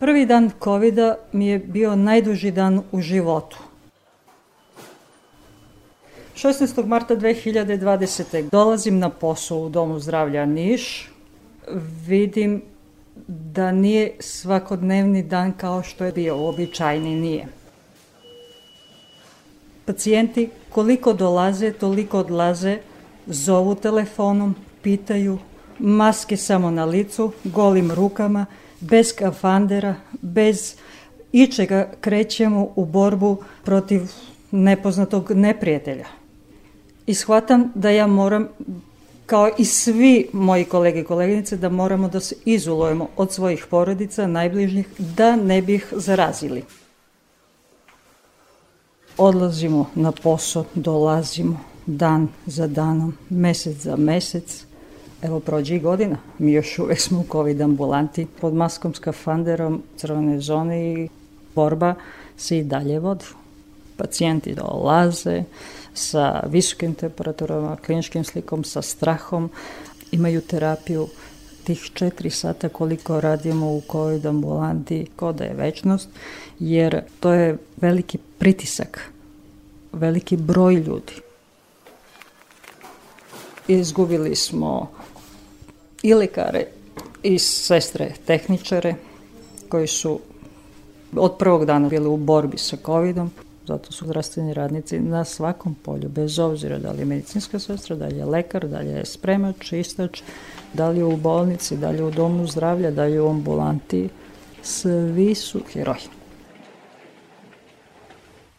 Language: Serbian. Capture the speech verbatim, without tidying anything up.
Prvi dan kovida mi je bio najduži dan u životu. šesnaestog marta dve hiljade dvadesete. dolazim na posao u Domu zdravlja Niš. Vidim da nije svakodnevni dan kao što je bio, uobičajeni nije. Pacijenti koliko dolaze, toliko odlaze, zovu telefonom, pitaju, maske samo na licu, golim rukama, bez skafandera, bez ičega krećemo u borbu protiv nepoznatog neprijatelja. I shvatam da ja moram, kao i svi moji kolege i koleginice, da moramo da se izolujemo od svojih porodica, najbližnjih, da ne bi ih zarazili. Odlazimo na posao, dolazimo dan za danom, mesec za mesec. Evo, prođe i godina. Mi još uvek smo u COVID ambulanti pod maskom, skafanderom, crvene zone i borba se i dalje vodi. Pacijenti dolaze sa visokim temperaturama, kliničkim slikom, sa strahom, imaju terapiju tih četiri sata koliko radimo u COVID ambulanti, ko da je večnost, jer to je veliki pritisak, veliki broj ljudi. Izgubili smo i lekare i sestre tehničare koji su od prvog dana bili u borbi sa covidom. Zato su zdravstveni radnici na svakom polju, bez obzira da li je medicinska sestra, da li je lekar, da li je spremač, čistač, da li je u bolnici, da li je u domu zdravlja, da li je u ambulanti. Svi su heroji.